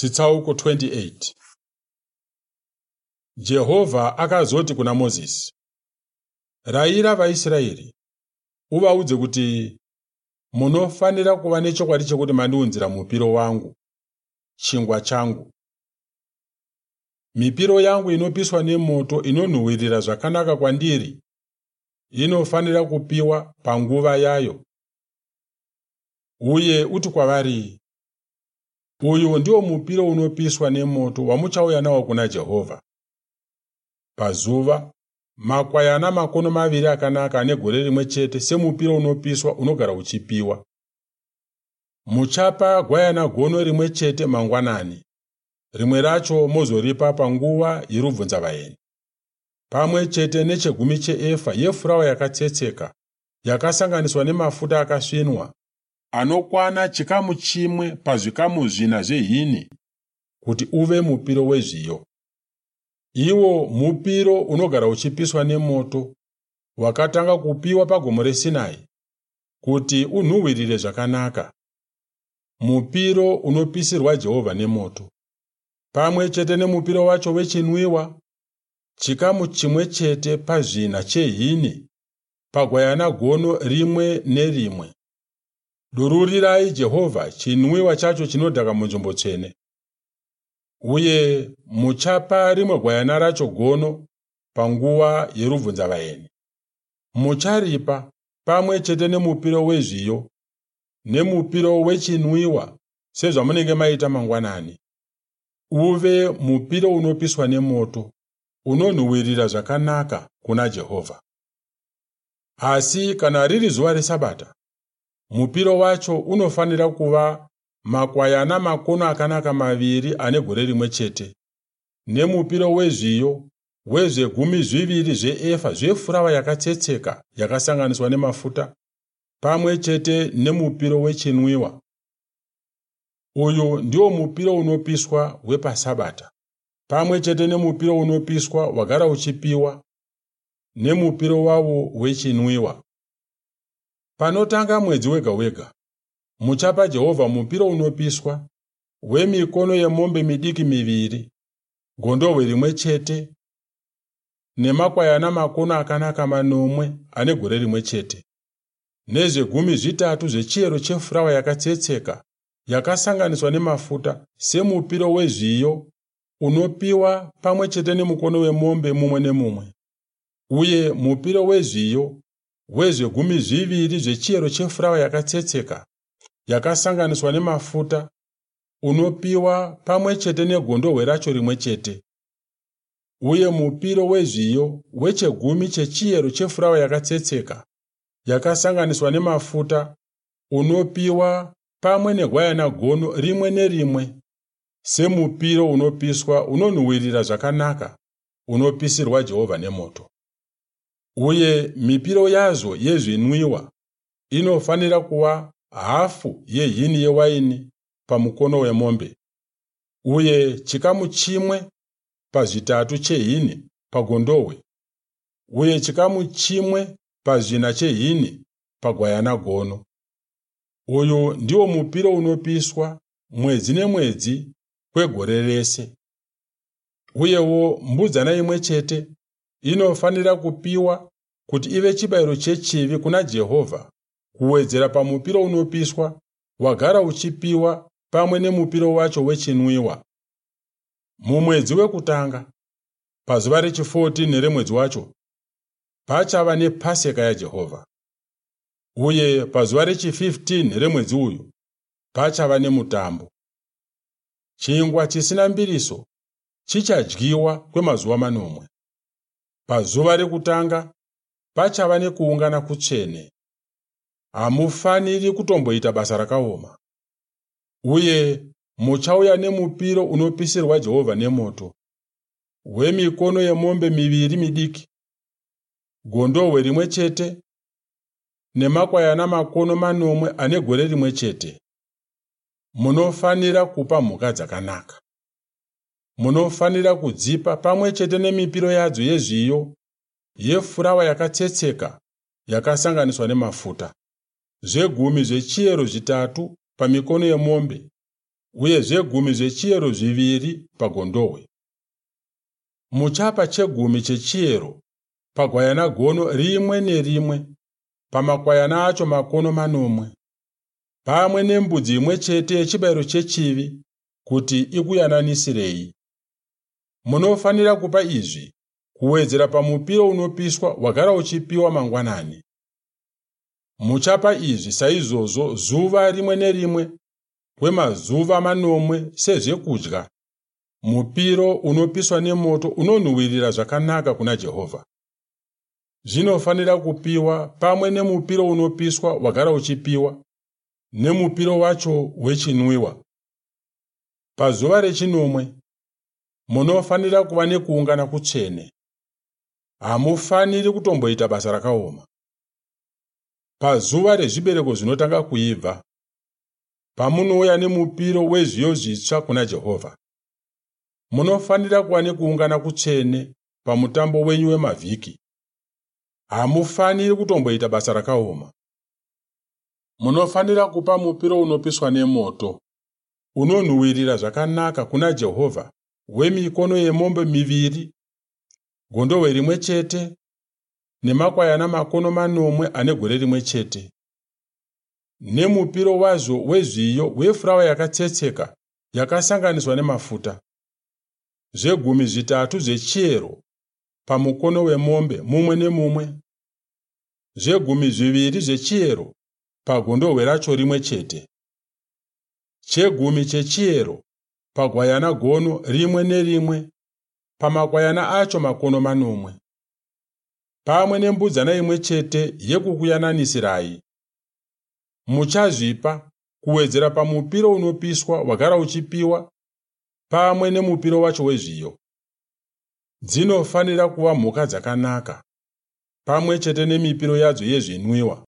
Chitsauko 28. Jehovha akazoti kuna Mozisi, Rayira vaIsraeri, uvaudze kuti, Munofanira kuva nechokwadi chekuti mandiunzira mupiro wangu, chingwa changu. Mipiro yangu inopiswa nemoto inonhuhwirira zvakanaka kwandiri inofanira kupiwa panguva yayo. Uye uti kwavari, Uyu ndiwo mupiro unopiswa nemoto wamuchauya nawo kuna Jehovha. Pazuva, makwayana makono maviri akanaka ane gore rimwe chete semupiro unopiswa unogara uchipiwa. Muchapa gwayana gono rimwe chete mangwanani, rimwe racho mozoripa panguva yerubvunzavaeni, pamwe chete nechegumi cheefa yefurawa yakatsetseka yakasanganiswa nemafuta akasvinwa anokwana chikamu chimwe pazvikamu zvina zvehini kuti uve mupiro wezviyo. Iwo mupiro unogara uchipiswa nemoto wakatanga kupiwa pagomo reSinai kuti unhuhwirire zvakanaka. Mupiro unopisirwa Jehovha nemoto. Pamwe chete nemupiro wacho wechinwiwa, chikamu chimwe chete pazvina chehini pagwayana gono rimwe nerimwe. Dururirai Jehovha chinwiwa chacho chinodhaka munzvimbo tsvene. Uye muchapa rimwe gwayana racho gono panguva yerubvunzavaeni. Mucharipa pamwe chete nemupiro wezviyo nemupiro wechinwiwa sezvamunenge maita mangwanani. Uve mupiro unopiswa nemoto, unonhuhwirira zvakanaka kuna Jehovha. Asi kana riri zuva reSabata, mupiro wacho unofanira kuva makwayana makono akanaka maviri ane gore rimwe chete, nemupiro wezviyo wezvegumi zviviri zveefa zvefurawa yakatsetseka yakasanganiswa nemafuta, pamwe chete nemupiro wechinwiwa. Uyu ndiwo mupiro unopiswa wepaSabata, pamwe chete nemupiro unopiswa wagara uchipiwa, nemupiro wawo wechinwiwa. Panotanga mwedzi wega wega, muchapa Jehovha mupiro unopiswa wemikono yemombe midiki miviri, gondohwe rimwe chete, nemakwayana makono akanaka manomwe ane gore rimwe chete, nezvegumi zvitatu zvechiyero chefurawa yakatsetseka yakasanganiswa nemafuta semupiro wezviyo unopiwa pamwe chete nemukono wemombe mumwe nemumwe, uye mupiro wezviyo wezvegumi zviviri zvechiyero chefurawa yakatsetseka yakasanganiswa nemafuta unopiwa pamwe chete negondohwe racho rimwe chete, uye mupiro wezviyo wechegumi chechiyero chefurawa yakatsetseka yakasanganiswa nemafuta unopiwa pamwe negwayana gono rimwe nerimwe semupiro unopiswa unonhuhwirira zvakanaka unopisirwa Jehovha nemoto. Uye mipiro yazvo yezvinwiwa inofanira kuva hafu yehini yewaini pamukono wemombe, uye chikamu chimwe pazvitatu chehini pagondohwe, uye chikamu chimwe pazvina chehini pagwayana gono. Uyu ndiwo mupiro unopiswa mwedzi nemwedzi kwegore rese. Uyewo mbudzana imwe chete inofanira kupiwa kuti ive chibayiro chechivi kuna Jehovha, kuwedzera pamupiro unopiswa wagara uchipiwa pamwe nemupiro wacho wechinwiwa. Mumwedzi wekutanga, pazuva rechi14 remwedzi wacho, pachava nePaseka yaJehovha. Uye pazuva rechi15 remwedzi uyu, pachava nemutambo. Chingwa chisina mbiriso chichadyiwa kwemazuva manomwe. Pazuva rekutanga pachava nekuungana kutsvene. Hamufaniri kutomboita basa rakaoma. Uye muchauya nemupiro unopisirwa Jehovha nemoto, wemikono yemombe miviri midiki, gondohwe rimwe chete nemakwayana makono manomwe ane gore rimwe chete. Munofanira kupa mhuka dzakanaka. Munofanira kudzipa pamwe chete nemipiro yadzo yezviyo yefurawa yakatsetseka yakasanganiswa nemafuta, zvegumi zvechiyero zvitatu pamikono yemombe, uye zvegumi zvechiyero zviviri pagondohwe. Muchapa chegumi chechiyero pagwayana gono rimwe nerimwe, pamakwayana acho makono manomwe, pamwe nembudzi imwe chete yechibayiro chechivi kuti ikuyananisirei. Munofanira kupa izvi kuwedzera pamupiro unopiswa wagara uchipiwa mangwanani. Muchapa izvi saizvozvo zuva rimwe nerimwe kwemazuva manomwe sezvekudya, mupiro unopiswa nemoto unonhuhwirira zvakanaka kuna Jehovha. Zvinofanira kupiwa pamwe nemupiro unopiswa wagara uchipiwa, nemupiro wacho wechinwiwa. Pazuva rechinomwe munofanira kuva nekuungana kutsvene. Hamufaniri kutomboita basa rakaoma. Pazuva rezvibereko zvinotanga kuibva, pamunouya nemupiro wezviyo zvitsva kuna Jehovha, munofanira kuva nekuungana kutsvene pamutambo wenyu wemavhiki. Hamufaniri kutomboita basa rakaoma. Munofanira kupa mupiro unopiswa nemoto, unonhuhwirira zvakanaka kuna Jehovha, wemikono yemombe miviri, gondohwe rimwe chete nemakwayana makono manomwe ane gore rimwe chete, nemupiro wazvo wezviyo wefurawa yakatsetseka yakasanganiswa nemafuta, zvegumi zvitatu zvechiyero pamukono wemombe mumwe nemumwe, zvegumi zviviri zvechiyero pagondohwe racho rimwe chete, chegumi chechiyero pagwayana gono rimwe nerimwe, pamakwayana acho makono manomwe, pamwe nembudzana imwe chete yekukuyananisirai. Muchazvipa kuwedzera pamupiro unopiswa wagara uchipiwa pamwe nemupiro wacho wezviyo. Dzinofanira kuva mhuka dzakanaka, pamwe chete nemipiro yadzo yezvinwiwa.